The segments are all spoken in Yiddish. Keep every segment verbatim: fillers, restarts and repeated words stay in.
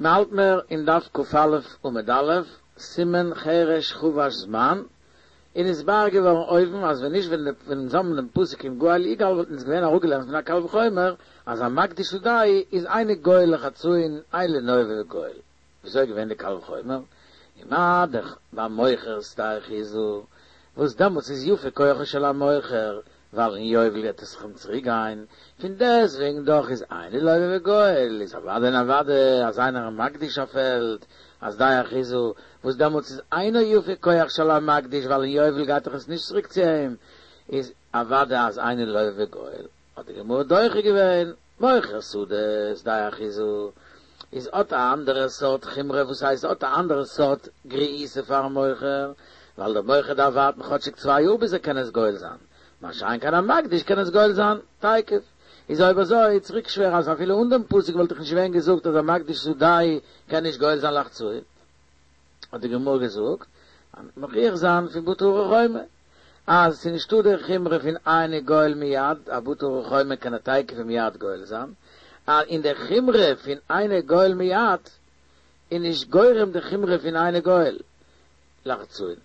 מ'האלט מיר אין דף קא עמוד א', סימן חרש חבש זמן, און איז נתבאר געווארן אויבן אז ווען נישט ווען אונז האבן דעם פסוק אם גאל יגאל וואלט אונז געווען אראפגעלערנט פון א קל וחומר אז א מקדיש שדהו איז אינו גואל לחצאין אינו לוה וגואל. וויאזוי איז געווען די קל וחומר? ומה דאך ביי מוכר שדה אחוזה וואס דעמאלטס איז יפה כוחו של המוכר ווייל אין יובל וועט עס אים צוריק גיין, פון דעסטוועגן דאך איז אינו לוה וגואל, איז אוודאי און אוודאי אז איינער מקדיש א פעלד א שדה אחוזה, וואס דעמאלטס איז אינו יפה כח של המקדיש ווייל אין יובל גייט דאך עס נישט צוריק צו אים, איז אוודאי אז אינו לוה וגואל, האט די גמרא דוחה געווען, מוכר שדה שדה אחוזה איז האט א אנדערע סארט חומרא וואס הייסט האט א אנדערע סארט גריעותא פארן מוכר, ווייל דער מוכר דארף ווארטן כאטשיג צוויי יאר ביז ער קען עס גואל זיין, מה שאין כן א מקדיש קען עס גואל זיין תיכף. איז אויב אזוי צוריק שווער אז אפילו אן דעם פסוק וואלט איך נישט געווען געזאגט אז א מקדיש שדהו קען נישט גואל זיין לחצאין. האט די גמרא געזאגט אז מוכיח זיין פון בתי ערי חומה אז ס'איז נישטא די חומרא פון אינו גואל מיד, א בתי ערי חומה קען ער תיכף ומיד גואל זיין, און די חומרא פון אינו גואל מיד איז נישט גורם די חומרא פון אינו גואל לחצאין,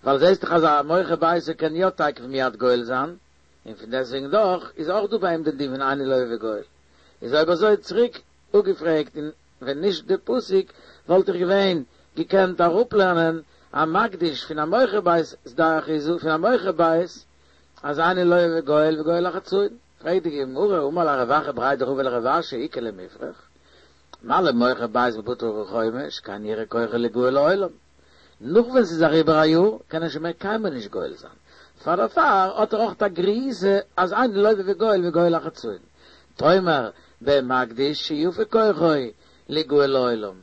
ווייל זעסט דאך אז א מוכר ביתו קען יא תיכף ומיד גואל זיין, און פון דעסטוועגן דאך איז אויך דא ביי אים די דין פון אינו לוה וגואל. איז אויב אזוי צוריק אפגעפרעגט און ווען נישט די פסוק וואלט איך געווען געקענט אראפלערנען א מקדיש פון א מוכר בית שדה אחוזה פון א מוכר בית אז אינו לוה וגואל וגואל לחצאין. פרעגט די גמרא אמר ליה רב אחא בריה דרבא לרב אשי איכא למיפרך מה למוכר בית בבתי ערי חומה שכן יראה כוחו ליגאל לעולם נאך ווען ס'איז אריבער א יאר קען ער שוין מער קיינמאל נישט גואל זיין, פאר דערפאר האט ער אויך א גריעותא אז אינו לוה וגואל וגואל לחצאין. תאמר במקדיש שיפה כוחו ליגאל לעולם,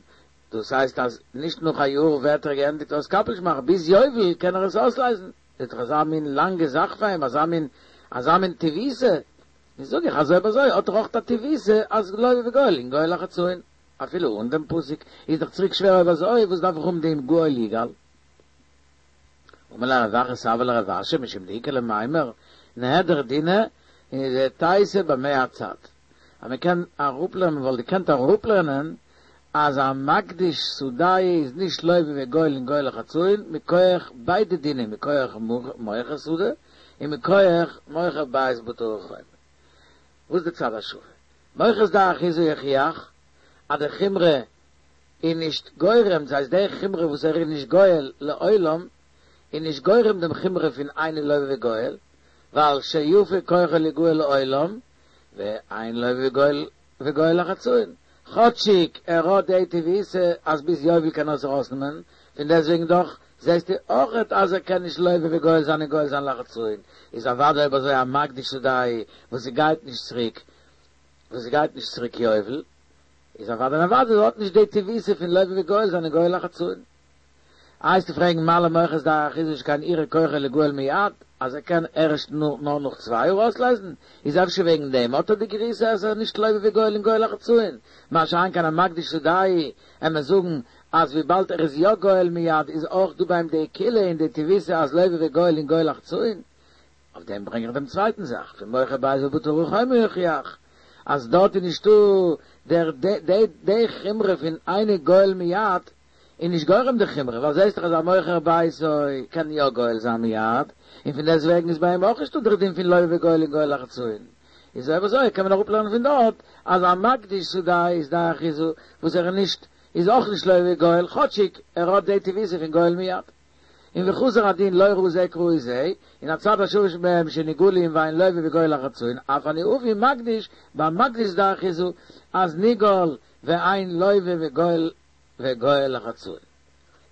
דאס הייסט אז נישט נאך א יאר ווערט ער געענדיגט אויס קאפעליוש מאכן, ביז יובל קען ער עס אויסלייזן, איז דאך אזא מין לאנגע זאך פאר אים, אזא מין אזא מין טיבותא, איז זאג איך אז אויב אזוי האט ער אויך א טיבותא אז לוה וגואל און גואל לחצאין. אפילו אן דעם פסוק איז דאך צוריק שווער אויב אזוי וואס דארף איך האבן דעם גואל יגאל? אמר ליה רב אחא סבא לרב אשי משום דאיכא למימר נהדר דינא דתיתי במה הצד אז מען קען אראפלערנען מען וואלט געקענט אראפלערנען אז א מקדיש שדהו איז נישט לוה וגואל און גואל לחצאין מכח ביידע דינים מכח מוכר שדה און מכח מוכר בית בבתי ערי חומה וואס איז די צד השווה? מוכר שדה אחוזה יוכיח אז די חומרא איז נישט גורם, דאס הייסט די חומרא וואס ער איז נישט גואל לעולם איז נישט גורם דעם חומרא פון אינו לוה וגואל, ווייל שיפה כוחו ליגאל לעולם, ואין לוה וגואל וגואל לחצאין, כאטשיג ער האט די טיבותא אז ביז יובל קען ער עס ארויסנעמען, פון דעסטוועגן דאך זעסטו אויכעט אז ער קען נישט לוה וגואל זיין און גואל זיין לחצאין, איז אוודאי אויב אזוי א מקדיש שדהו וואס ס'גייט נישט צוריק וואס ס'גייט נישט צוריק יובל, איז אוודאי און אוודאי האט נישט די טיבותא פון לוה וגואל זיין און גואל לחצאין. איי וועסטו פרעגן מה למוכר שדה אחוזה שכן יראה כוחו ליגאל מיד, אז ער קען ערשט נאר נאך צוויי יאר אויסלייזן, איז אפשר וועגן דעם האט ער די גריעותא אז ער איז נישט לוה וגואל און גואל לחצאין, מה שאין כן א מקדיש שדהו, עמער זאגן אז וויבאלד ער איז יא גואל מיד איז אויך דא ביי אים די קולא און די טיבותא אז לוה וגואל און גואל לחצאין. אויף דעם ברענג איך דעם צווייטן זאך, פון מוכר בית בבתי ערי חומה יוכיח, אז דארט איז נישטא דער די די חומרא פון אינו גואל מיד, איז נישט גורם די חומרא, ווייל זעסט דאך אז א מוכר ביתו קען יא גואל זיין מיד, און פון דעסט וועגן איז ביי אים אויך נישטא דער דין פון לוה וגואל און גואל לחצאין. איז אויב אזוי קען מען אראפלערנען פון דארט אז א מקדיש שדהו שדה אחוזה וואס ער איז נישט איז אויך נישט לוה וגואל כאטשיג ער האט די טיבותא פון גואל מיד. און וחזר הדין לא ראי זה כראי זה, און הצד השווה שבהם שנגאלין ואין לוה וגואל לחצאין, אף אני אביא מקדיש במקדיש שדה אחוזה, אז נגאל ואין לוה וגואל וגואל לחצאין.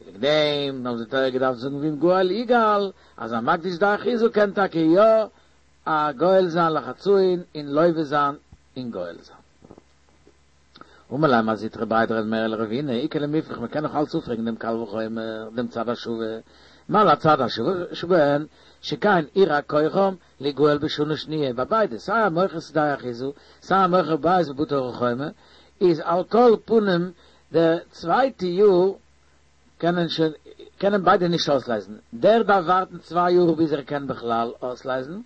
וועגן דעם האט די תורה געדארפט זאגן ואם גאל יגאל, אז א מקדיש שדה אחוזה קען טאקע יא א גואל זיין לחצאין און לוה זיין און גואל זיין. אמר ליה מר זוטרא בריה דרב מרי לרבינא, איכא למיפרך מען קען נאך אלץ אפפרעגן דעם קל וחומר, דעם צד השווה, מה להצד השווה שבהן, שכן ירע כוחם ליגאל בשנה שניה, ביי ביידע, סיי א מוכר שדה אחוזה, סיי א מוכר בית בבתי ערי חומה, איז על כל פנים די צווייטע יאר קענען שוין קענען ביידע נישט אויסלייזן, דער דארף ווארטן צוויי יאר ביז ער קען בכלל אויסלייזן,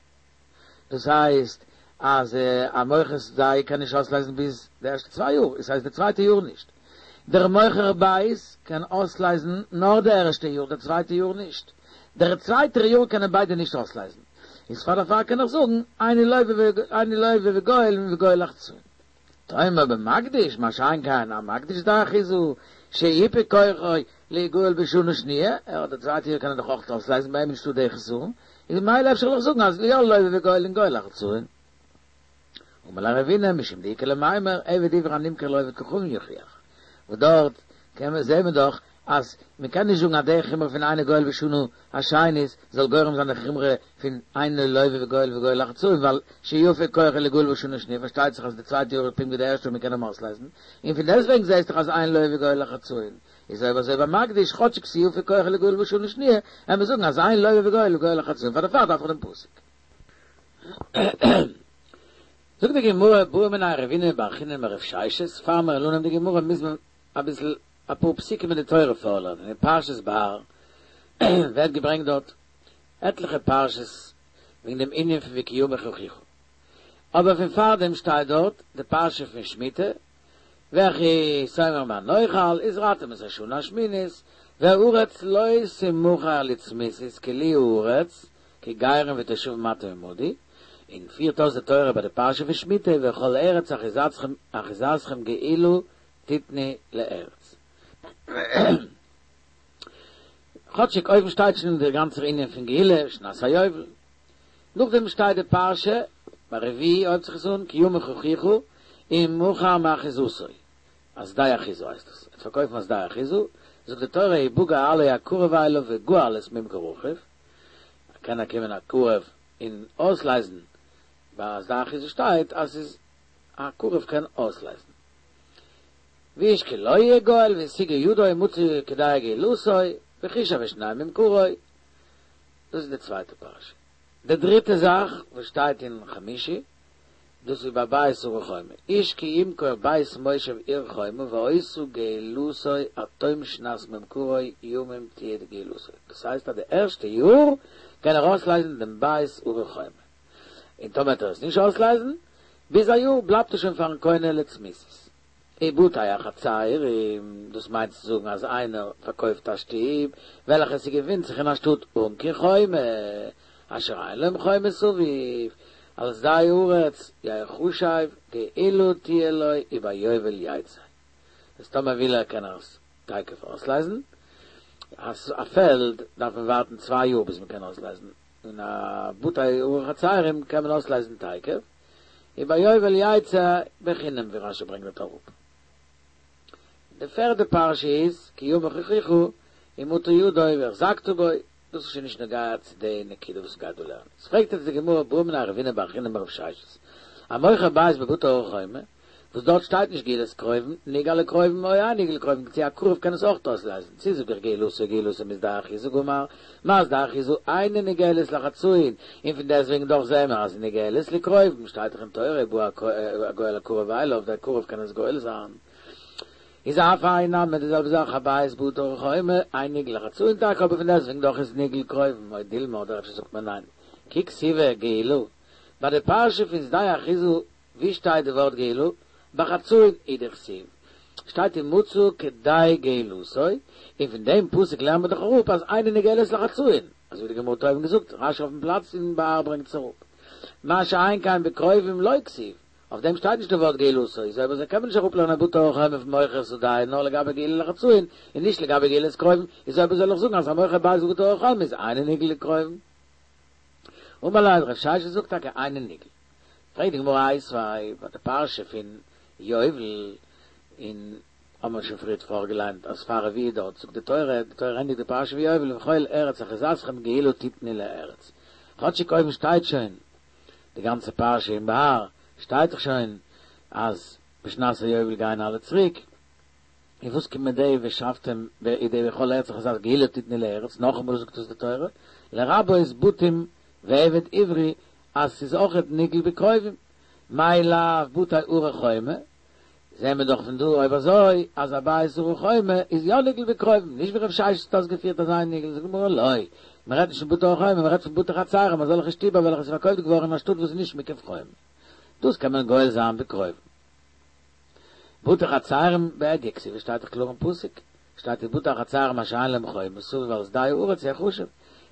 דאס הייסט אז א מוכר שדהו קען נישט אויסלייזן ביז די ערשטע צוויי יאר, עס הייסט די צווייטע יאר נישט, דער מוכר בית קען אויסלייזן נאר די ערשטע יאר, די צווייטע יאר נישט. דער צווייטער יאר קענען ביידע נישט אויסלייזן. איז פאר דערפאר קען איך זאגן, אינו לוה אינו לוה וגואל וגואל לחצאין. תאמר במקדיש, מה שאין כן, המקדיש שדה אחוזה, שיפה כוחו ליגאל בשנה שניה, ער האט די צווייטע יאר קען ער דאך אויך אויסלייזן, ביי אים נישטא די חסרון, איז ממילא אפשר זאל איך זאגן אז יא לוה וגואל און גואל לחצאין. אמר ליה רבינא משום דאיכא למימר עבד עברי הנמכר לעובד כוכבים יוכיח. וואס דארט קען מען זעהן מען דאך אז מען קען נישט זאגן אז די חומרא פון אינו גואל בשנה השנית זאל גורם זיין די חומרא פון אינו לוה וגואל וגואל לחצאין ווייל שיפה כוחו ליגאל בשנה שניה פארשטייט זיך אז די צווייטע יאר איז פונקט ווי די ערשטע און מען קען אים אויסלייזן און פון דעסטוועגן זעהסט דאך אז אינו לוה וגואל לחצאין איז אויב אזוי ביי מקדיש כאטשיג ס'יפה כוחו ליגאל בשנה שניה וועלן מיר זאגן אז אינו לוה וגואל וגואל לחצאין פאר דערפאר דארף איך דעם פסוק. זאגט די גמרא בעא מיניה רבינא בר חיננא מרב ששת, פאר מיר לערנען די גמרא מוז מען אביסל אפאר פסוקים אין די תורה פארלערנען, אין פרשת בהר ווערט געברענגט דארט עטליכע פרשות וועגן דעם ענין פון וכי ימוך אחיך, אבער פון פארדעם שטייט דארט די פרשה פון שמיטה, וכי תאמר מה נאכל, וזרעתם את השנה השמינית, והארץ לא תמכר לצמיתות כי לי הארץ, כי גרים ותושבים אתם עמדי, און פירט אויס די תורה ביי די פרשה פון שמיטה וכל ארץ אחוזתכם אחוזתכם גאולה תתנו לארץ. כאטשיג אויבן שטייט שוין דער גאנצער ענין פון גאולה, שנת היובל. נאכדעם שטייט די פרשה, ביי רביעי הויבט זיך עס אן, כי ימוך אחיך, ומכר מאחוזתו, א שדה אחוזה הייסט עס, ער וועט פארקויפן א שדה אחוזה, זאגט די תורה ובא גואלו הקרוב אליו וגאל את ממכר אחיו, קען קומען א קרוב און אויסלייזן, ביי א שדה אחוזה שטייט אז ס'איז א קרוב קען אויסלייזן. ואיש כי לא יהיה גואל והשיגה ידו ומצא כדאי גאולתו וחישב את שני ממכרו. דאס איז די צווייטע פרשה. די דריטע זאך וואס שטייט אין חמישי, דאס איז ביי בית ערי חומה, איש כי ימכור בית מושב עיר חומה והיתה גאולתו עד תום שנת ממכרו ימים תהיה גאולתו, דאס הייסט אז די ערשטע יאר קען ער אויסלייזן דעם בית ערי חומה, און טאמער וועט ער עס נישט אויסלייזן ביז א יאר בלייבט עס שוין פארן קונה לצמיתות. ובתי החצרים, דאס מיינט צו זאגן אז איינער פארקויפט א שטוב וועלכע ס'געפינט זיך אין א שטאט אן קיין חומה, אשר אין להם חומה סביב, על שדה הארץ יחשב גאולה תהיה לו וביובל יצא. איז טאמער וויל ער קען ער עס תיכף אויסלייזן. א פעלד דארף מען ווארטן צוויי יאר ביז מען קען אויסלייזן, און א בתי ערי חצרים קען מען אויסלייזן תיכף. וביובל יצא בחינם ווי רשי ברענגט דארט אראפ. די פערדע פרשה איז כי ימוך אחיך ומטה ידו והחזקת בו, דאס איז שוין נישט נוגע צו די נקודה וואס מ'גייט דא לערנען. עס פרעגט יעצט די גמרא בעא מיניה רבינא בר חיננא מרב ששת, המוכר בית בבתי ערי חומה, וואס דארט שטייט נישט גאולת קרובים, נגאל לקרובים או אין נגאל לקרובים, צו א קרוב קען עס אויך אויסלייזן, צו זאג איך גאולתו גאולתו משדה אחוזה גמר, מה שדה אחוזה אינה נגאלת לחצאין, און פון דעסטוועגן דאך זעהן מיר אז נגאלת לקרובים, שטייט דאך אין תורה ובא הגואל הקרוב אליו, דער קרוב קען עס גואל זיין. איז אף האי נמי די זעלבע זאך א בית בתי ערי חומה, אין נגאל לחצאין טאקע אבער פון דעסטוועגן דאך איז נגאל קרובים, או דילמא אדער אפשר זאגט מען ניין, כי כתיבא גאולה, ביי די פרשה פון שדה אחוזה ווי שטייט די ווארט גאולה? בחצאין הוא דכתיב שטייט ומצא כדאי גאולתו, און פון דעם פסוק לערנט מען דאך אראפ אז אינה נגאלת לחצאין, אזוי ווי די גמרא האט אויבן געזאגט, רשי אויפן פלאץ אין בהר ברענגט עס אראפ. מה שאין כן בקרובים לא כתיב, אויף דעם שטייט נישט די ווארט גאולתו, איז אויב אזוי קען מען נישט אראפלערנען בתי ערי חומה פון מוכר שדהו נאר לגבי גאולה לחצאין און נישט לגבי גאולת קרובים, איז אויב אזוי זאל איך זאגן אז המוכר בית בבתי ערי חומה איז אינו נגאל לקרובים. אמר ליה רב ששת זאגט טאקע אינו נגאל. פרעגט די גמרא איתיביה ביי די פרשה פון יובל, און האבן מיר שוין פריערט פארגעליינט אז פאר רביעי דארט זאגט די תורה, די תורה ענדיגט די פרשה פון יובל וכל ארץ אחוזתכם גאולה תתנו לארץ, כאטשיג אויבן שטייט שוין די גאנצע פרשה אין בהר שטייט דאך שוין אז בשנת היובל גייען אלע צוריק, און וואס קומט מיט די ושבתם די וכל ארץ אחוזתכם גאולה תתנו לארץ, נאכאמאל זאגט עס די תורה, לרבות בתים ועבד עברי אז ס'איז אויכעט נגאל בקרובים, מאי לאו בתי ערי חומה, זעהן מיר דאך פון דא אויב אזוי אז א בית ערי חומה איז יא נגאל בקרובים, נישט ווי רב ששת האט אויסגעפירט אז אינו נגאל, זאגט די גמרא לא, מען רעדט נישט פון בתי ערי חומה, מען רעדט פון בתי חצרים, אזעלכע שטיבער וועלכע איז פארקויפט געווארן אין א שטאט וואס איז נישט מוקף חומה, דאס קען מען גואל זיין בקרובים. בתי חצרים בהדיא כתיבי שטייט דאך קלאר אין פסוק, שטייט ובתי החצרים אשר אין להם חומה סביב על שדה הארץ יחשב,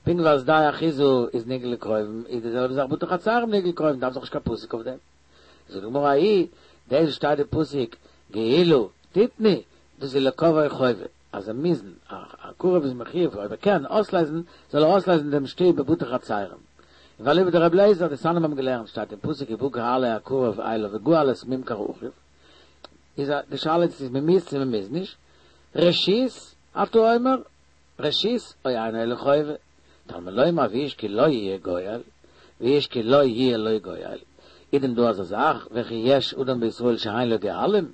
פונקט ווי שדה האחוזה איז נגאל לקרובים איז די זעלבע זאך בתי חצרים נגאל לקרובים דארף דאך נישט קיין פסוק אויף דעם. זאגט די גמרא ההיא, דאס וואס שטייט אין פסוק גאולה תתנו דאס איז לקובעו חובה, אז זיי מוזן, א קרוב איז מחיוב אויב ער קען אויסלייזן זאל ער אויסלייזן דעם שטוב בבתי חצרים. און ואליבא דרבי אליעזר, די תנאים האבן געלערנט שטייט אין פסוק ובא גואלו הקרוב אליו וגאל את ממכר אחיו, איז די שאלה צו מען מוז צו מען מוז נישט, רשות אתה אומר רשות או אינו אלא חובה, תלמוד לומר ואיש כי לא יהיה גואל, ואיש כי לא יהיה לו גואל, איז דען דא אזא זאך וכי יש אדם בישראל שאין לו גואלים,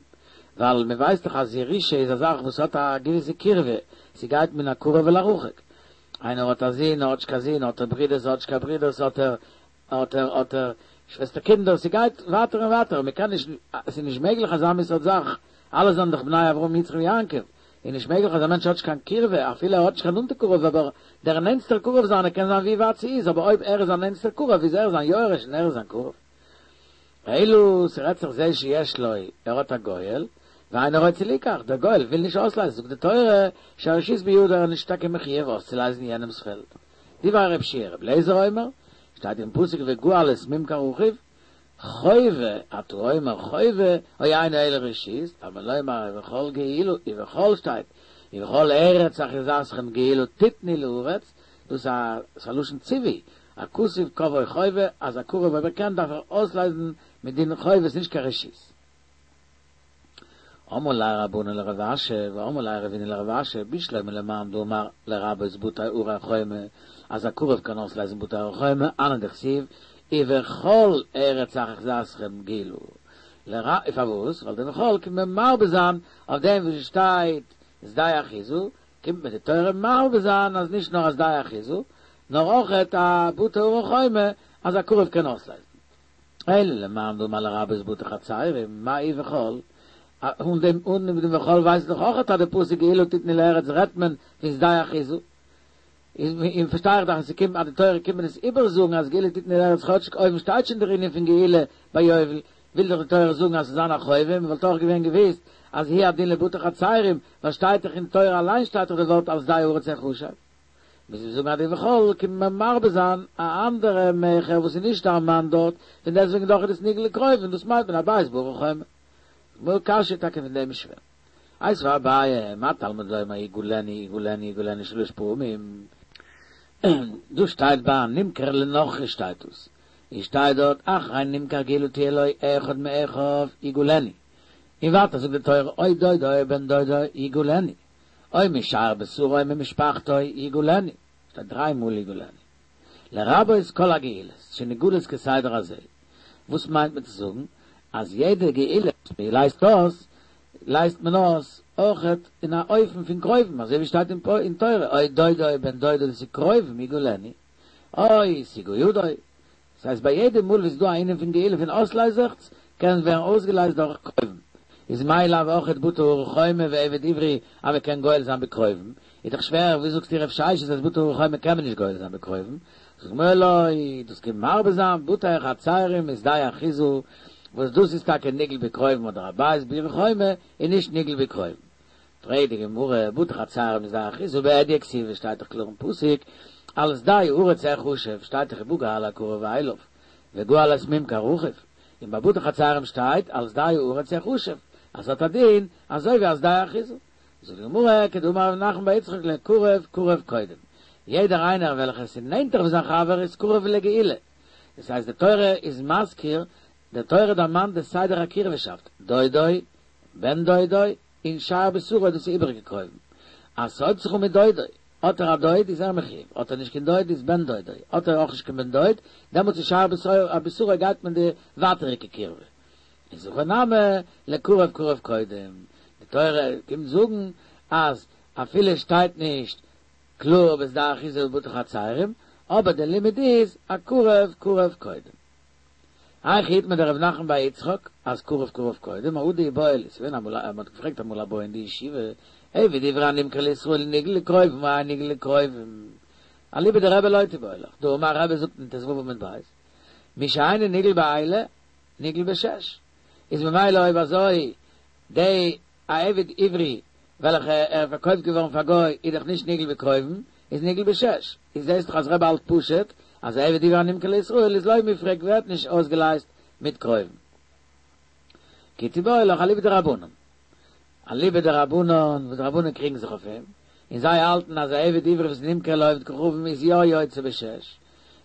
ווייל מען ווייסט דאך אז ירושה איז א זאך וואס האט א געוויסע קירבה, ס'גייט מן הקרוב אל הרחוק, איינער האט א זון, ער האט נישט קיין זון, האט ער ברידערס, ער האט נישט קיין ברידערס, האט ער האט ער האט ער שוועסטער קינדער, ס'גייט ווייטער און ווייטער, מען קען נישט, ס'איז נישט מעגליך אזא מין סארט זאך, אלע זענען דאך בני אברהם יצחק ויעקב, איז נישט מעגליך אז א מענטש האט נישט קיין קירבה, אפילו ער האט נישט קיין נאנטע קרוב, אבער דער נענסטער קרוב זיינער קען זיין ווי ווייט ס'איז, אבער אויב ער איז זיין נענסטער קרוב איז ער זיין יורש און ער איז זיין קרוב. אלא ס'רעדט זיך זה שיש לו, ער האט א גואל, ואינו רוצה ליקח, דער גואל וויל נישט אויסלייזן, זאגט די תורה, שהרשות בידו ער איז נישט טאקע מחיוב אויסצולייזן יענעמ'ס פעלד. דברי רב יהושע, רבי אליעזר אומר, שטייט אין פסוק וגאל את ממכר אחיו, חובה, אתה אומר חובה, או אינו אלא רשות, תלמוד לומר ובכל גאולה, ובכל שטייט, ובכל ארץ אחוזתכם גאולה תתנו לארץ, דאס איז א לשון ציווי, הכתוב קבעו חובה, אז א קרוב אויב ער קען דארף ער אויסלייזן מדין חובה, ס'נישט קיין רשות. אמרו ליה רבנן לרב אשי, ואמרי לה רבינא לרב אשי, בשלמא למאן דאמר לרבות בתי ערי חומה, אז א קרוב קען אויסלייזן בתי ערי חומה, הני דכתיב, ובכל ארץ אחוזתכם גאולה. לרא פארוואס? ווייל די ובכל קומט מען מרבה זיין אויף דעם וואס שטייט שדה אחוזה, קומט מען די תורה מרבה זיין אז נישט נאר א שדה אחוזה, נאר אויכעט א בתי ערי חומה אז א קרוב קען אויסלייזן. אלא למאן דאמר לרבות בתי חצרים, מאי ובכל, אן דעם אן דעם ובכל ווייסט דאך אויכעט אז די פסוק גאולה תתנו לארץ רעדט מען פון שדה אחוזה. איז און פארשטיי איך דאך אז ס'קומט אז די תורה קומט מען עס איבערזאגן אז גאולה תתנו לארץ כאטשיג אויבן שטייט שוין דער ענין פון גאולה ביי יובל, וויל דאך די תורה זאגן אז ס'זאל זיין א חובה, מ'וואלט אויך געווען געוויסט אז הוא הדין לבתי חצרים, ווייל שטייט דאך אין תורה אליין שטייט דאך די ווארט על שדה הארץ יחשב. מוז מען זאגן אז די ובכל קומט מען מרבה זיין א אנדערע מכר וואס איז נישט דערמאנט דארט, פון דעסטוועגן דאך איז דאס נגאל לקרובים און דאס מיינט מען א בית בערי חומה. גמרא קשיא טאקע פון דעם איז שווער. איתיביה אביי, מה תלמוד לומר יגאלנו יגאלנו יגאלנו שלש פעמים? דא שטייט ביי נמכר לנכרי שטייט דאס, און שטייט דארט אחרי נמכר גאולה תהיה לו אחד מאחיו יגאלנו, און ווייטער זאגט די תורה או דודו או בן דודו יגאלנו, או משאר בשרו ממשפחתו יגאלנו, שטייט דריי מאל יגאלנו. לרבות כל הגאולות שנגאלות כסדר הזה, וואס מיינט מען צו זאגן אז יעדע גאולה וואס מען לייזט אויס, לייזט מען אויס אויכעט אין א אופן פון קרובים, אזוי ווי שטייט אין תורה, או דודו או בן דודו דאס איז קרובים יגאלנו, או השיגה ידו, דאס הייסט ביי יעדע מאל וואס איז דא א ענין פון גאולה פון אויסלייזעכץ, קען ווערן אויסגעלייזט דורך קרובים, איז מאי לאו אויכעט בתי ערי חומה ועבד עברי אז מען קען גואל זיין בקרובים, איז דאך שווער ווי זאגסטו רב ששת אז בתי ערי חומה קען מען נישט גואל זיין בקרובים, זאגט די גמרא לא, דאס קומט מרבה זיין בתי חצרים ושדה אחוזה, וואס דאס איז טאקע נגאל בקרובים אדער א בית בעיר חומה איז נישט נגאל בקרובים. פרעגט די גמרא, בתי חצרים ושדה אחוזה בהדיא כתיבי שטייט דאך קלאר אין פסוק, על שדה הארץ יחשב שטייט דאך ובא גואלו הקרוב אליו, וגאל את ממכר אחיו, און ביי בתי חצרים שטייט על שדה הארץ יחשב, אז ס'האט א דין אזוי ווי א שדה אחוזה. זאגט די גמרא, כדאמר רב נחמן בר יצחק לקרוב קרוב קודם, יעדער איינער וועלכער עס איז נענטער ווי זיין חבר איז קרוב לגאולה, דאס הייסט די תורה איז מזכיר, די תורה דערמאנט די סדר הקירבהשאפט, דודו, בן דודו, און שאר בשרו דאס איז איבעריגע קרובים, אז ס'הויבט זיך אן מיט דודו, האט ער א דוד איז ער מחיוב, האט ער נישט קיין דוד איז בן דודו, האט ער אויך נישט קיין בן דוד, דעמאלטס איז שאר בשרו גייט מען די ווייטעריגע קירבה. איז הכא נמי לקרוב קרוב קודם, די תורה קומט זאגן אז אפילו שטייט נישט קלאר בשדה אחוזה ובתי חצרים, אבער די לימוד איז א קרוב קרוב קודם. היכא איתמר דרב נחמן בר יצחק אז קרוב קרוב קודם, ההוא דאיבעיא להו, ס'געווען אמאל א, מ'האט געפרעגט אמאל א בעיא אין די ישיבה, עבד עברי הנמכר לישראל נגאל לקרובים או אינו נגאל לקרובים, אליבא דרבי לא תיבעי לך, דאמר רבי זאגט אין ט"ו עמוד ב', מי שאינו נגאל באלה נגאל בשש, איז ממילא אויב אזוי די א עבד עברי וועלכע ער איז פארקויפט געווארן פאר גוי איז דאך נישט נגאל בקרובים, איז נגאל בשש, איז זעהסט דאך אז רבי האלט פשוט אז א עבד עברי הנמכר לישראל איז לא מיפרק ווערט נישט אויסגעלייזט מיט קרובים. כי תיבעי לך אליבא דרבנן. אליבא דרבנן וואס די רבנן קריגן זיך אויף אים, און זיי האלטן אז א עבד עברי וואס נמכר לעובד כוכבים איז יא יוצא בשש,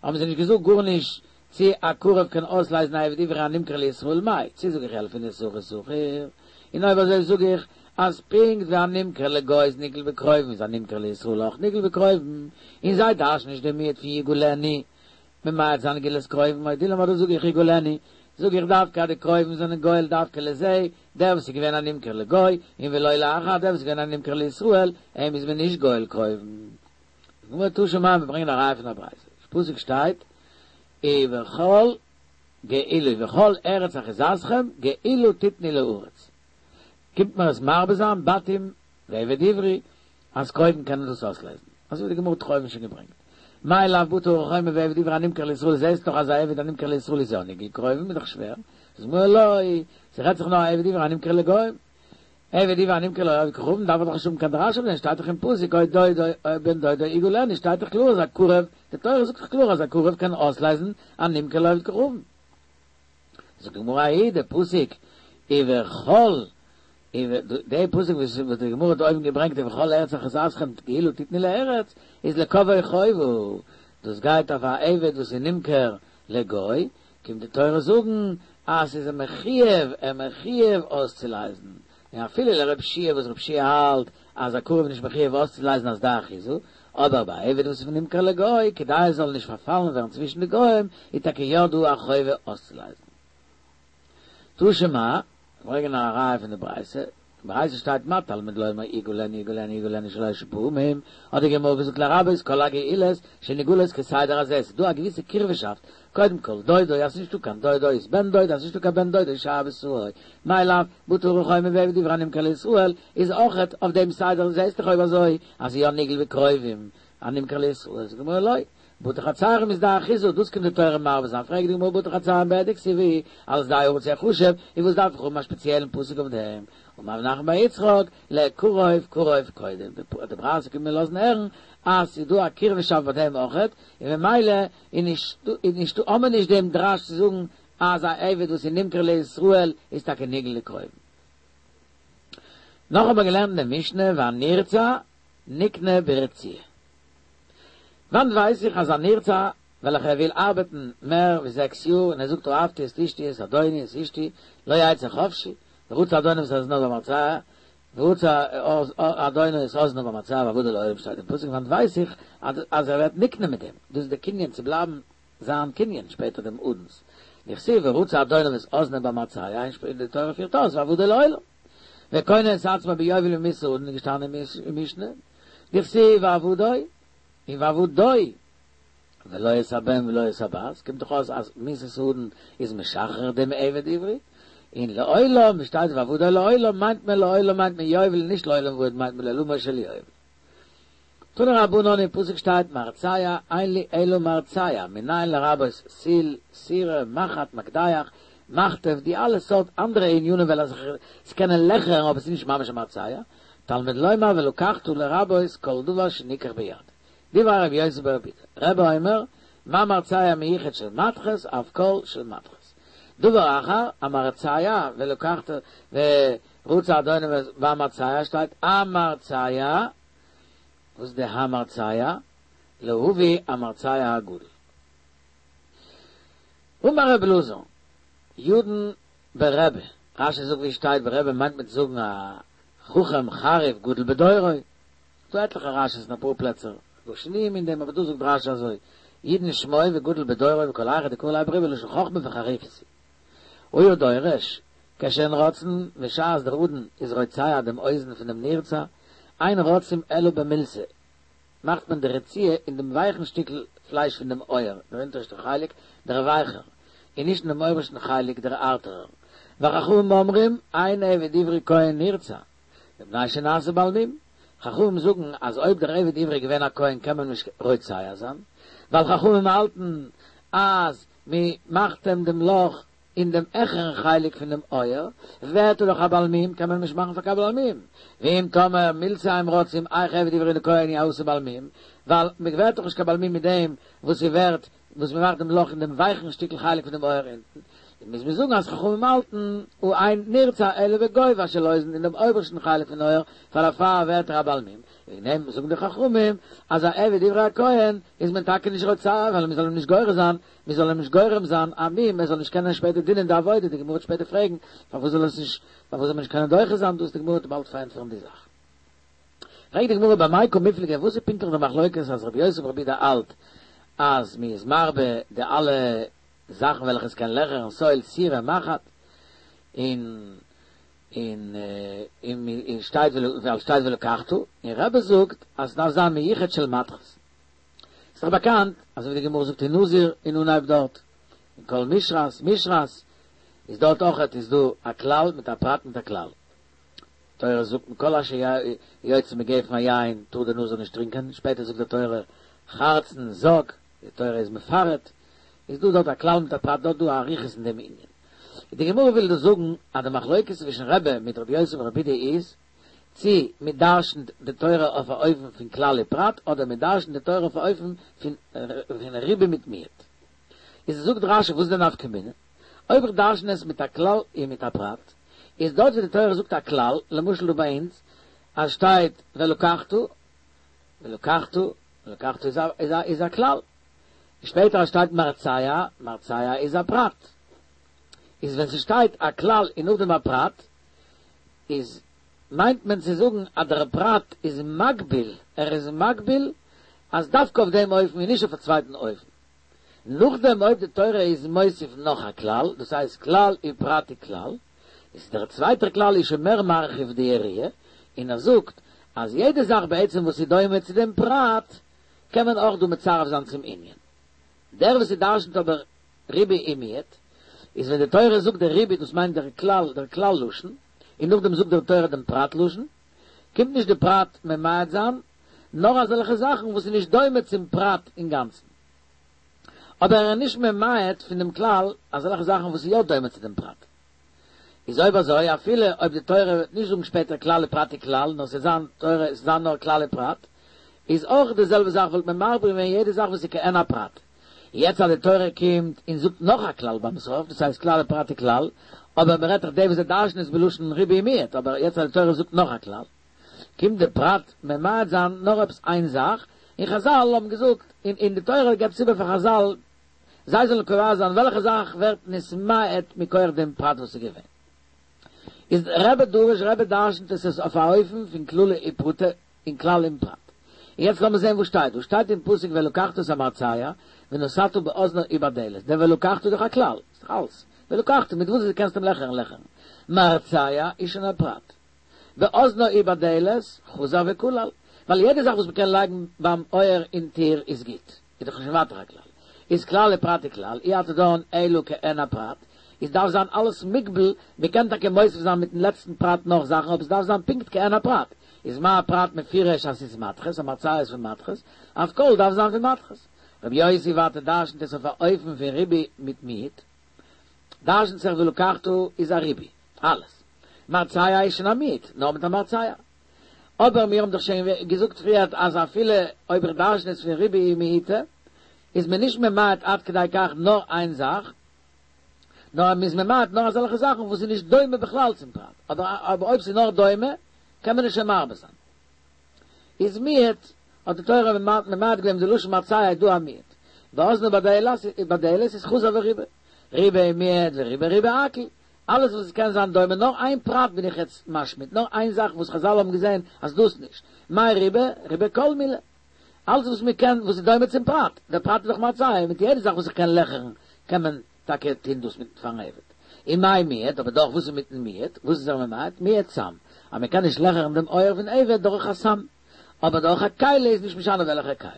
האבן זיי נישט געזאגט גארנישט צי א קרוב קען אויסלייזן א עבד עברי הנמכר לישראל מאי, צי זאג איך ילפינן שכיר שכיר, און אויב אזוי זאג איך אז פונקט ווי א נמכר לגוי איז נגאל בקרובים איז א נמכר לישראל אויך נגאל בקרובים, און זיי דרש'ן נישט דעם מיעוט פון יגאלנו, ממעט זיין גאולת קרובים או דילמא אדער זאג איך יגאלנו, זאג איך דווקא אז די קרובים זענען גואל דווקא לזה, דער וואס איז געווען א נמכר לגוי, און ולא לאחר דער וואס איז געווען א נמכר לישראל, אים איז מען נישט גואל קרובים. די גמרא תא שמע, מיר ברענגען א ראיה פון א ברייתא, פסוק שטייט ובכל גאולה ובכל ארץ אחוזתכם גאולה תתנו לארץ, קומט מיר עס מרבה זיין בתים ועבד עברי אז קרובים קענען דאס אויסלייזן, אזוי ווי די גמרא האט אויבן שוין געברענגט, מאי לאו בטי הרי חומר ועבד עברי הנמכר לישראל זעסט דאך אז א עבד הנמכר לישראל איז יא נגאל קרובים איז דאך שווער, זאגט די גמרא לא, ס'רעדט זיך נאר א עבד עברי הנמכר לגוים, עבד עברי הנמכר לעובד כוכבים דארף איך דאך נישט האבן קיין דרש אויף דעם שטייט דאך אין פסוק או דודו או בן דודו יגאלנו שטייט דאך קלאר אז א קרוב, די תורה זאגט דאך קלאר אז א קרוב קען אויסלייזן א נמכר לעובד כוכבים. זאגט די גמרא ההיא די פסוק ובכל די פסוק וואס די גמרא האט אויבן געברענגט ובכל ארץ אחוזתכם גאולה תתנו לארץ איז לקובעו חובה דאס גייט אויף א עבד וואס איז נמכר לגוי קומט די תורה זאגן אז ס'איז אים מחויב אים מחויב אויסצולייזן און אפילו לר' יהושע וואס ר' יהושע האלט אז א קרוב איז נישט מחויב אויסצולייזן אז שדה אחוזה, אבער ביי א עבד וואס איז נמכר לגוי, כדי ער זאל נישט פארפאלן ווערן צווישן די גוים, איז טאקע יא דא א חובה אויסצולייזן. תא שמע, ברענגען א ראיה פון די ברייתא, אין ברייתא שטייט מה תלמוד לומר יגאלנו יגאלנו יגאלנו שלש פעמים, האט די גמרא געזאגט לרבות כל הגאולות שנגאלות כסדר הזה, ס'איז דא א געוויסע קירבה'שאפט, קודם כל דודו אז ס'נישטא קיין דודו איז בן דודו אז ס'נישטא קיין בן דודו איז שאר בשרו, מאי לאו בטי הרי חומר ועבד עברי הנמכר לישראל איז אויכעט אויף דעם סדר זעסט דאך אויב אזוי אז יא נגאל בקרובים הנמכר לישראל זאגט די גמרא לא בתי חצרים איז שדה אחוזה דאס קומט די תורה מרבה זיין פרעגט די גמרא בתי חצרים בהדיא כתיבי על שדה הארץ יחשב און וואס דארף איך האבן א שפעציעלן פסוק אויף דעם אמר רב נחמן בר יצחק לקרוב קרוב קודם די ברייתא קומט מיר לאזן הערן אז ס'איז דא א קירבה'שאפט ביי דעם אויכעט און ממילא איז נישט איז נישטא האמער נישט דעם דרש צו זאגן אז א עבד וואס איז נמכר לישראל איז טאקע נגאל לקרובים. נאך האט מען געלערנט אין די משנה והנרצע נקנה ברציעה. וואנעט ווייס איך אז א נרצע וועלכע ער וויל ארבעטן מער ווי זעקס יאר און ער זאגט אהבתי את אשתי את אדוני את אשתי לא יצא חופשי ורצע אדוניו את אזנו במרצע ורצע אדונו את אזנו במרצע ועבדו לעולם שטייט אין פסוק וואנעט ווייס איך אז ער ווערט נקנה מיט דעם דאס איז די קנין צו בלייבן זיין קנין שפעטער דעם אדון'ס דכתיב ורצע אדוניו את אזנו במרצע און די תורה פירט אויס ועבדו לעולם וקונה את עצמו ביובל ממיתת האדון איז געשטאנען אין משנה דכתיב ועבדו און ועבדו ולא את הבן ולא את הבת קומט דאך אויס אז מיתת האדון איז משחרר דעם עבד עברי און לעולם ווי שטייט ועבדו לעולם מיינט מען לעולם מיינט מען יובל נישט לעולם ועד מיינט מען לעולמו של יובל. תנו רבנן אין פסוק שטייט מרצע אין לי אלא מרצע מנין לרבות סיר סירה מחט מקדח מחטב די אלע סארט אנדערע ענינים וועלכע זיך ס'קענען לעכערן אבער ס'איז נישט ממש א מרצע תלמוד לומר ולקחת לרבות כל דבר שנקח ביד דברי רבי יוסי ברבי יהודה רבי אומר מה מרצע מיוחד של מתכת אף כל של מתכת דבר אחר המרצע ולקחת ורצע אדוניו והמרצע שטייט המרצע וואס איז די המרצע? להביא המרצע הגדול. אמר רבי אלעזר, ידון ברבי, רשי זאגט ווי שטייט ברבי מיינט מען צו זאגן א חכם חריף גדול בדורו, ס'דא עטליכע רשי'ס אין אפאר פלעצער, דא שינויים אין דעם אבער דא זאגט רשי אזוי, ידון שמו וגדול בדורו וכל היכא דקרי ליה ברבי לשון חכמה וחריפות הוא. היה דורש, כשהן רוצעין בשעת דער אדון איז רוצע דעם אוזן פון דעם נרצע, אין רוצעים אלא במילתא, מאכט מען די רציעה אין דעם ווייכן שטיקל פלייש פון דעם אויער, דער אונטערשטער חלק, דער ווייכער, און נישט אין דעם אויבערשטן חלק, דער הארטערער. וחכמים אומרים, אין עבד עברי כהן נרצע, מפני שנעשה בעל מום. חכמים זאגן אז אויב דער עבד עברי איז געווען א כהן קען מען נישט רוצע זיין, ווייל חכמים האלטן אז מען מאכט אים דעם לאך אין דעם העכערן חלק פון דעם אויער, ווערט ער דאך א בעל מום, קען מען אים נישט מאכן פאר קיין בעל מום. ואם תאמר מילתא עם הארצים איך עבד עברי לכהן יעשה בעל מום, ווייל מען ווערט דאך נישט קיין בעל מום מיט דעם וואס ס'ווערט וואס מען מאכט דעם לאך אין דעם ווייכן שטיקל חלק פון דעם אויער אונטן, מוז מען זאגן אז חכמים האלטן הא אין נרצע אלא בגובה של אוזן אין דעם אויבערשטן חלק פון אויער, פאר דערפאר ווערט ער א בעל מום, וועגן דעם זאגן די חכמים אז א עבד עברי הכהן איז מען טאקע נישט רוצע ווייל מען זאל אים נישט גורם זיין, מען זאל אים נישט גורם זיין א מום ער זאל נישט קענען שפעטער דינען די עבודה, די גמרא וועט שפעטער פרעגן פארוואס זאל עס נישט פארוואס זאל מען נישט קענען דוחה זיין דאס, די גמרא וועט באלד פארענטפערן די זאך. פרעגט די גמרא במאי קא מיפלגי וואס איז פונקטליך די מחלוקת אז רבי יוסי ברבי יהודה האלט אז מען איז מרבה די אלע זאכן וועלכע עס קען לעכערן סואל סירה מחט און און און שטייט ווייל שטייט ולקחת און רבי זאגט אז עס דארף זיין מיוחד של מתכת איז דאך באקאנט אזוי ווי די גמרא זאגט אין נזיר אין אנהייב דארט אין כל משרת משרת איז דארט אויכעט איז דא א כלל מיט א פרט מיט א כלל תורה זאגט מכל אשר יוצא מגפן היין טאר דער נזיר נישט טרינקען שפעטער זאגט די תורה חרצן זג די תורה איז מפרט איז דא דארט א כלל מיט א פרט דארט דא א אריכות אין דעם ענין. די גמרא וויל דא זאגן אז די מחלוקת צווישן רבי מיט רבי יוסי ברבי יהודה איז צי מען דרשנ'ט די תורה אויף א אופן פון כלל ופרט אדער מען דרשנ'ט די תורה אויף א אופן פון ריבוי מיט מיעוט. איז זאגט רשי וואס איז די נפקא מינה? אויב איך דרשן עס מיט א כלל און מיט א פרט, איז דארט ווי די תורה זאגט א כלל, למשל דא ביי אונז אז שטייט ולקחת, ולקחת, ולקחת איז א איז א איז א כלל. שפעטער אז שטייט מרצע, מרצע איז א פרט. איז ווען ס'שטייט א כלל און נאכדעם א פרט, איז מיינט מען צו זאגן אז דער פרט איז מגביל, ער איז מגביל אז דווקא אויף דעם אופן און נישט אויף א צווייטן אופן. נאכדעם אויב די תורה איז מוסיף נאך א כלל, דאס הייסט כלל ופרט וכלל, איז דער צווייטער כלל איז שוין מער מרחיב די יריעה, און ער זאגט אז יעדע זאך בעצם וואס איז דומה צו דעם פרט, קען מען אויך דא מצרף זיין צום ענין. דער וואס ס'דרשנ'ט אבער ריבוי און מיעוט, איז ווען די תורה זאגט דער ריבוי דאס מיינט דער כלל דער כלל לשון, און נאכדעם זאגט דער תורה דעם פרט לשון, קומט נישט די פרט ממעט זיין, נאר אזעלכע זאכן וואס איז נישט דומה צום פרט אינגאנצן. אבער ער איז נישט ממעט פון דעם כלל אזעלכע זאכן וואס איז יא דומה צו דעם פרט. איז אויב אזוי אפילו אויב די תורה וועט נישט זאגן שפעטער כלל ופרט וכלל נאר ס'וועט זיין תורה ס'וועט זיין נאר כלל ופרט איז אויך די זעלבע זאך וואלט מען מרבה געווען יעדע זאך וואס איז כעין הפרט. יעצט אז די תורה קומט און זאגט נאך א כלל ביים סוף דאס הייסט כלל ופרט וכלל אבער מ'רעדט דאך די וואס זיי דרש'ן עס בלשון ריבוי ומיעוט אבער יעצט אז די תורה זאגט נאך א כלל קומט די פרט ממעט זיין נאר עפעס איין זאך און חזל האבן געזאגט און און די תורה געבט עס איבער פאר חזל זיי זאלן קובע זיין וועלכע זאך ווערט נתמעט מכח דעם פרט וואס איז געווען. איז רבי דריש רבי דרשנ'ט עס עס אויף א אופן פון כללי ופרטי און כלל און פרט. און יעצט לאמיר זען וואס שטייט דא. שטייט אין פסוק ולקחת את המרצע ונתתה באזנו ובדלת. דער ולקחת איז דאך א כלל. איז דאך אלס. ולקחת מיט וואס דו קענסט אים לעכערן לעכערן. מרצע איז שוין א פרט. באזנו ובדלת חזר וכלל. ווייל יעדע זאך וואס מ'קען לייגן ביים אויער אין טיר איז גוט. איז דאך שוין ווייטער א כלל. איז כלל ופרט וכלל, אי אתה דן אלא כעין הפרט, איז דארף זיין אלעס מוגבל, מ'קען טאקע מוסיף זיין מיטן לעצטן פרט נאך זאכן אבער ס'דארף זיין פונקט כעין הפרט, איז מה הפרט מפורש אז ס'איז מתכת, המרצע איז פון מתכת, אף כל דארף זיין פון מתכת. רבי יוסי ווייטער דרשנ'ט עס אויף א אופן פון ריבוי מיט מיעוט, דרשנ'ט זיך ולקחת איז א ריבוי, אלעס. מרצע איז שוין א מיעוט, נאר מיט א מרצע. אבער מיר האבן דאך שוין געזאגט פריערט אז אפילו אויב איך דרשן עס פון ריבוי ומיעוטא, איז מען נישט ממעט עד כדי כך נאר איין זאך, נאר מען איז ממעט נאר אזעלכע זאכן וואס איז נישט דומה בכלל צום פרט, אבער אויב ס'איז נאר דומה, קען מען עס שוין מרבה זיין. איז מיעוט, האט די תורה ממעט געווען די לשון מרצע איז דא א מיעוט. באזנו ובדלת איז חזר וריבה. ריבה מיעט וריבה ריבה הכל. אלעס וואס עס קען זיין דומה, נאר איין פרט בין איך יעצט משמיט, נאר איין זאך וואס חזל האבן געזען אז דאס נישט. מאי ריבה? ריבה כל מילי. אלעס וואס מען קען, וואס איז דומה צום פרט. דער פרט איז דאך מרצע, מיט יעדע זאך וואס איך קען לעכערן, קען מען טאקע טון דאס מיט פארן עבד. און מאי מיעט, אבער דאך וואס איז מיטן מיעוט? וואס איז ער ממעט? מיעט סם. אז מען קען נישט לעכערן דעם אויער פון עבד דורך א סם. אבער דורך א כלי איז נישט משנה וועלכע כלי.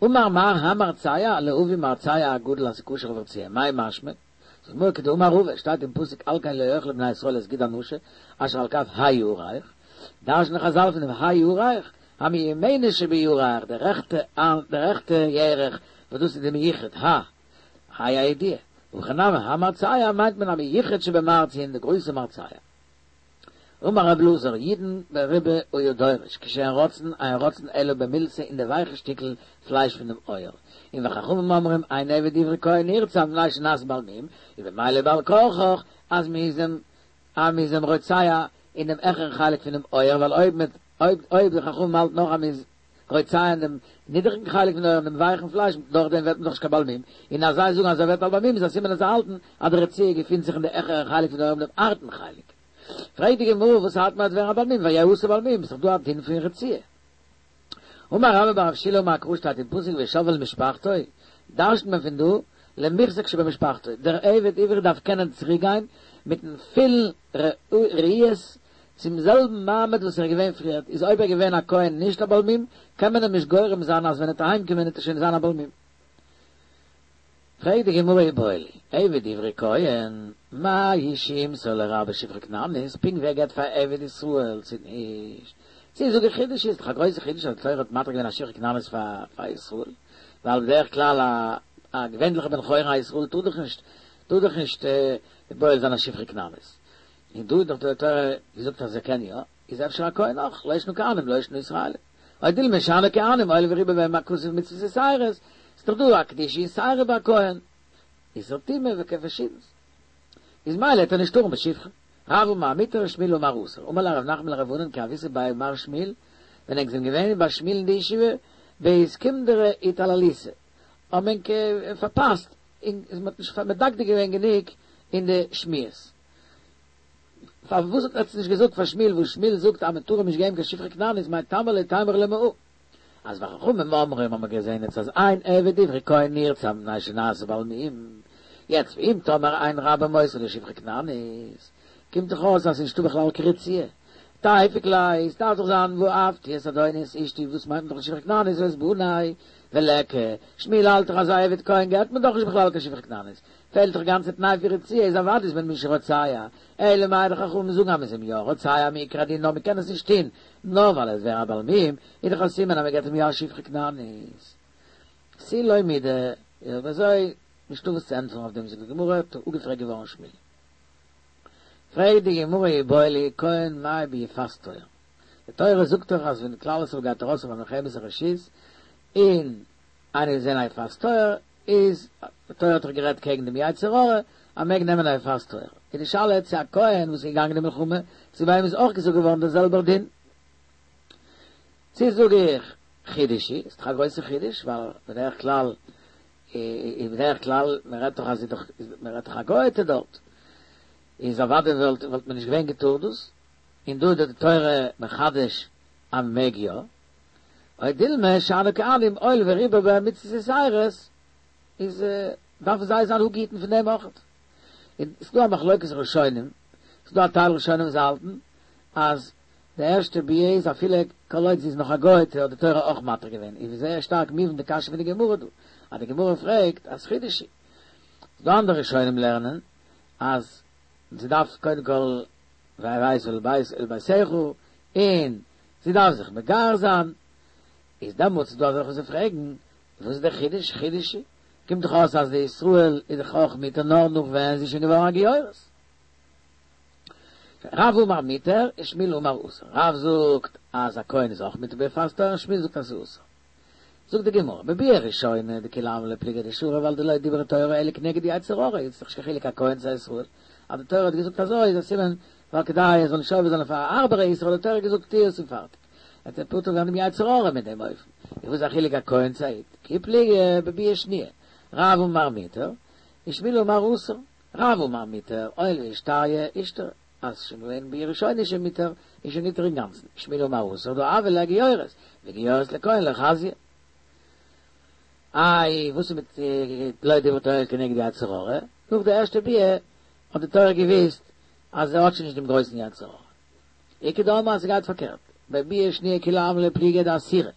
אמר מר המרצע להביא מרצע הגדול אז ס'כשר לרציעה, מאי משמע? זאגט די גמרא כדאמר רבא, שטייט אין פסוק על כן לא יאכלו בני ישראל את גיד הנשה אשר על כף הירך, דרש'נען חזל פון דעם הירך, המיומנת שבירך, די רעכטע די רעכטע ירך וואס דאס איז די מיוחד, ה, ה' הידיעה, ובכן נמי המרצע מיינט מען המיוחד שבמרצעין די גרויסע מרצע. אמר רב אלעזר ידון בריבעא היה דורש כשאין רצון אין רצון אלא במילתא אין די ווייכע שטיקל פלייש פון דעם אויער און וחכמים אומרים אין עבד עברי כהן נרצע מפני שנעשה בעל מום און במילא בעל כרחך אז מ'איז אים אז מ'איז אים רוצע אין דעם העכערן חלק פונעם אויער ווייל אויב מ'עט אויב אויב די חכמים האלטן נאך אז מ'איז רוצע אין דעם נידעריגן חלק פון די אויער אין דעם ווייכן פלייש דורך דעם ווערט מען דאך נישט קיין בעל מום און אז זיי זאגן אז ער ווערט א בעל מום איז א סימן אז זיי האלטן אז די רציעה געפינט זיך אין די העכערע חלק פון די אויער אין דעם הארטן חלק. פרעגט די גמרא וואס הארט מיר אז ווערן א בעל מום ויהי עשו בעל מום, ס'איז דאך דא א דין פון רציעה. אמר רבה בר רב שילא אמר קרא שטייט אין פסוק ושב אל משפחתו, דרש'נט מען פון דא למוחזק שבמשפחתו, דער עבד עברי דארף קענען צוריק גיין מיטן פולן ראיות צום זעלבן מעמד וואס ער איז געווען פריערט, איז אויב ער איז געווען א כהן נישט א בעל מום, קען מען אים נישט גורם זיין אז ווען ער וועט אהיים קומען וועט ער שוין זיין א בעל מום. פרעגט די גמרא איבעיא להו, עבד עברי כהן, מהו שימסור לרבו שפחה כנענית, פונקט ווי ער געבט פאר עבד ישראל צו נישט? צו זאג איך חידוש איז דאך א גרויסע חידוש אז די תורה האט מתיר געווען א שפחה כנענית פאר פאר ישראל, ווייל בדרך כלל א א געווענליכע בן חורין א ישראל טאר דאך נישט טאר דאך נישט בועל זיין א שפחה כנענית, און דא האט דאך די תורה געזאגט אז ער קען יא, איז אפשר א כהן אויך, לא שנא כהנים לא שנא ישראלים. או דילמא שאני כהנים הואיל וריבה בהם הכתוב מצוות יתירות, ס'איז דאך דא א קדושה יתירה ביי א כהן, איסור טומאה וכו' פארשידנס. איז מילא וועט ער נישט טארן בשפחה. רב אמר מותר שמואל אמר אסור. אמר ליה רב נחמן לרב ענן כי הויתו בי מר שמואל, ווען ענק זענען געווען ביי שמואל אין די ישיבה, באיסקונדרי איטלליתו, האבן ענק פארפאסט און מ'האט נישט מדקדק געווען גענוג אין די שמועות. פארוואס האט עטץ נישט געזאגט פאר שמואל וואס שמואל זאגט אז מען טאר אים נישט געבן קיין שפחה כנענית מאי טעמא לא תימרו ליה מהא אז וחכמים אומרים האבן מיר געזען יעצט אז אין עבד עברי כהן נרצע מפני שנעשה בעל מום יעצט ואם תאמר אין רבו מוסר לו שפחה כנענית קומט דאך אויס אז ס'נישטא בכלל קיין רציעה תיפוק ליה ס'דארף דאך זיין ואהבתי את אדוני את אשתי וואס מיינט מען דאך שפחה כנענית ואת בני וליכא שמואל האלט דאך אז א עבד כהן געבט מען דאך נישט בכלל קיין שפחה כנענית פעלט דאך גאנצע תנאי פון רציעה איז אוודאי איז מען נישט רוצע, אלא מאי די חכמים זאגן אז מ'איז אים יא רוצע מעיקר הדין נאר מ'קען עס נישט טוהן נאר ווייל ער וועט ווערן א בעל מום, איז דאך א סימן אז מ'געט אים יא א שפחה כנענית. תו לא מידי, אויב אזוי נישטא וואס צו ענטפערן אויף דעם זאגט די גמרא, האט אפגעפרעגט געווארן שמואל. פרעגט די גמרא איבעיא להו כהן מהו ביפת תואר, די תורה זאגט דאך אז ווען כלל ישראל גייט ארויס אויף א מלחמת הרשות און איינער זעהן א יפת תואר איז די תורה האט דאך גערעדט קעגן דעם יצר הרע אז מ'מעג נעמען א יפת תואר, איז די שאלה צו א כהן וואס איז געגאנגען אין מלחמה צו ביי אים איז אויך געזאגט געווארן דער זעלבער דין, צו זאג איך חידוש היא, איז דאך א גרויסע חידוש ווייל בדרך כלל איז בדרך כלל מען רעדט דאך אז איז דאך מען רעדט דאך א גוי'טע דארט איז אוודאי וואלט וואלט מען נישט געווען געטאר דאס, און דא איז די תורה מחדש אז מען מעג יא. או דילמא שאני כהנים הואיל וריבה בהם מצוות יתירות איז דארפן זיי זיין אפגעהיטן פון דעם אויכעט. און ס'איז דא א מחלוקת ראשונים, ס'איז דא א טייל ראשונים וואס האלטן אז די ערשטע ביאה איז אפילו כל עוד זי איז נאך א גוי'טע האט די תורה אויך מתיר געווען, איז זייער שטארק מובן די קשיא פון די גמרא דא, אז די גמרא פרעגט אז חידוש היא. ס'איז דא אנדערע ראשונים לערנען אז זי דארף קודם כל והבאת אל בית אל ביתך און זי דארף זיך מגייר זיין, איז דעמאלטס איז דא אזעלכע וואס פרעגן, וואס איז דער חידוש, חידוש היא? קומט דאך אויס אז די ישראל איז דאך אויך מותר נאר נאך ווען זי איז שוין געווארן א גיורת. רב אמר מותר און שמואל אמר אסור, רב זאגט אז א כהן איז אויך מותר ביפת תואר און שמואל זאגט אז ס'איז אסור. זאגט די גמרא, בביאה ראשונה דכולי עלמא לא פליגי דשרי ווייל דלא דברה תורה אלא כנגד יצר הרע, איז דאך נישט קיין חילוק א כהן צו א ישראל, אז די תורה האט געזאגט אזוי איז א סימן ווייל כדי ער זאל נישט עובר זיין אויף א הארבערע איסור האט די תורה געזאגט טו עס און פארטיג, וועט ער פטור ווערן דעם יצר הרע מיט דעם אופן, איז וואס איז א חילוק א כהן צו א איד? כי פליגי בביאה שניה, רב אמר מותר, ושמואל אמר אסור, רב אמר מותר, הואיל ואישתריא אישתרי, אז ס'איז שוין געווען ביאה ראשונה איז שוין מותר, איז שוין מותר אינגאנצן, שמואל אמר אסור דהא הויא לה גיורת, וגיורת לכהן לא חזיא. איי וואס איז מיט לא דברה תורה כנגד יצר הרע? נאך די ערשטע ביאה האט די תורה געוויסט אז ער האט שוין נישט דעם גרויסן יצר הרע. איכא דאמרי אז ס'גייט פארקערט, בביאה שניה כולי עלמא לא פליגי דאסירא.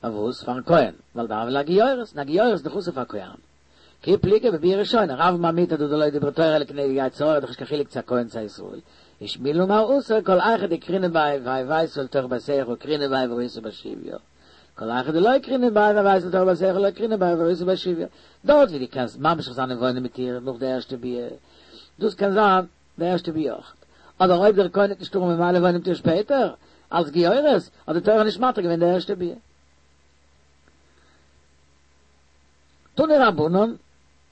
פארוואס? פארן כהן, ווייל דהויא לה גיורת, און א גיורת איז דאך אסור פאר כהנים. כי פליגי בביאה ראשונה, רב אמר מותר דלא דברה תורה אלא כנגד יצר הרע, דאך נישט קיין חילוק צו א כהן צו א ישראל. ושמואל אמר אסור כל היכא דקרינא ביה והבאת אל תוך ביתך קרינא ביה וראית בשביה. כל היכא דלא קרינן ביה והבאת אל תוך ביתך לא קרינן ביה וראית בשביה, דארט ווי דו קענסט ממשיך זיין און וואוינען מיט איר נאך די ערשטע ביאה, דאס קען זיין די ערשטע ביאה אויך, אבער אויב דער כהן וועט נישט טארן ממילא וואוינען מיט איר שפעטער אלס גיורת, האט די תורה נישט מתיר געווען די ערשטע ביאה. תנו רבנן,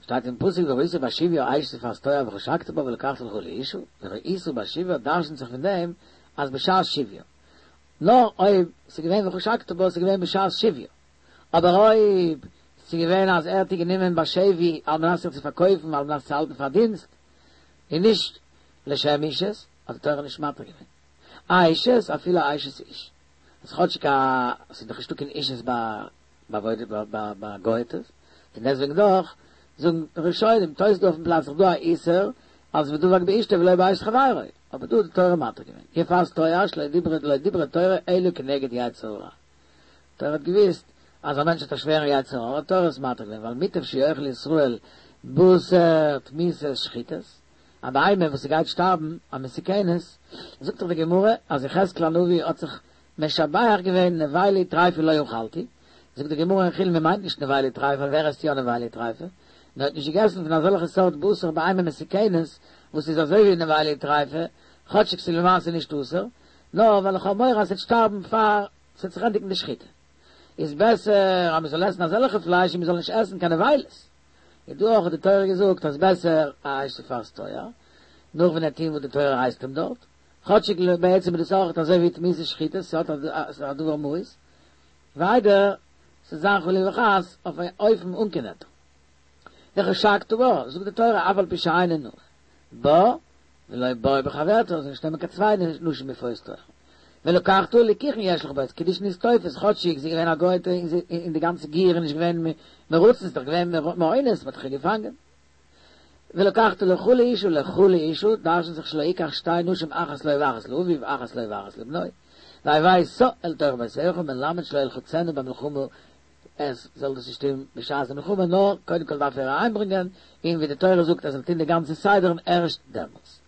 שטייט אין פסוק וראית בשביה אשת יפת תואר וחשקת בה ולקחת לך לאשה, וראית בשביה דרשנ'ט זיך פון דעם אז בשעת שביה, נאר אויב ס'איז געווען וחשקת בה ס'איז געווען בשעת שביה, אבער אויב ס'איז געווען אז ער האט איר גענומען בשבי על מנת איר צו פארקויפן על מנת צו האלטן פארדינסט און נישט לשם אישות, האט די תורה נישט מתיר געווען אשת אפילו אשת איש, אז כאטשיג א ס'איז דאך נישטא קיין אישות ביי ביי גוי'טעס, פון דעסטוועגן דאך זאגן ראשונים תוס' דא אויפן פלאץ איז דא א איסור אז ודבק באשתו ולא באשת חברו, אבער דא האט די תורה מתיר געווען, יפת תואר שלא דיברה לא דיברה תורה אלא כנגד יצר הרע, תורה האט געוויסט אז א מענטש האט א שווערן יצר הרע האט תורה עס מתיר געווען ווייל מוטב שיאכל ישראל בשר תמיסות שחוטות, א בהמה וואס ס'גייט שטארבן א מסוכנת, זאגט דאך די גמרא אז יחזקאל הנביא האט זיך משבח געווען נבילה טריפה לא אכלתי, זאגט די גמרא אין חולין מען מיינט נישט נבילה טריפה ווער עסט יא נבילה טריפה, נאר האט נישט געגעסן פון אזעלכע סארט בשר בהמה מסוכנת וואס איז אזוי ווי נבילה טריפה, כאטשיג ס'איז למעשה נישט אסור, נאר ווייל איך האב מורא אז ס'וועט שטארבן פאר ס'וועט זיך ענדיגן די שחיטה. איז בעסער אז מ'זאל עסן אזעלכע פלייש און מ'זאל נישט עסן קיין נבילות. איז דא אויך האט די תורה געזאגט אז בעסער א אשת יפת תואר, נאך ווען ער טוהן וואס די תורה הייסט אים דארט, כאטשיג בעצם איז דאס אויך אזוי ווי תמיסות שחוטות, ס'האט א דבר מאוס, ווי איידער ס'זאל זיין חלילה וחס אויף א אופן אן קיין היתר. וחשקת בה, זאגט די תורה אף על פי שאינו נאה בה ולא בו בחברתה, זאל נישט נעמען קיין צוויי נשים יפות תואר. ולקחת ליקוחין יש לך בה, קידושין איז תופס, כאטשיג זי איז געווען א גוי'טע און די גאנצע גיור איז נישט געווען מרצון, ס'איז דאך געווען מאונס, מ'האט דאך איר געפאנגען. ולקחת לך לאשה לך לאשה, דרש'נט זיך שלא יקח שתי נשים אחת לו ואחת לאביו אחת לו ואחת לבנו, והבאת אל תוך ביתך מלמד שלא ילחצנה במלחמה, עס זאל דאס נישט טון בשעת די מלחמה, נאר קודם כל דארף ער אהיימברענגען, און ווי די תורה זאגט ער זאל טון די גאנצע סדר און ערשט דעמאלטס.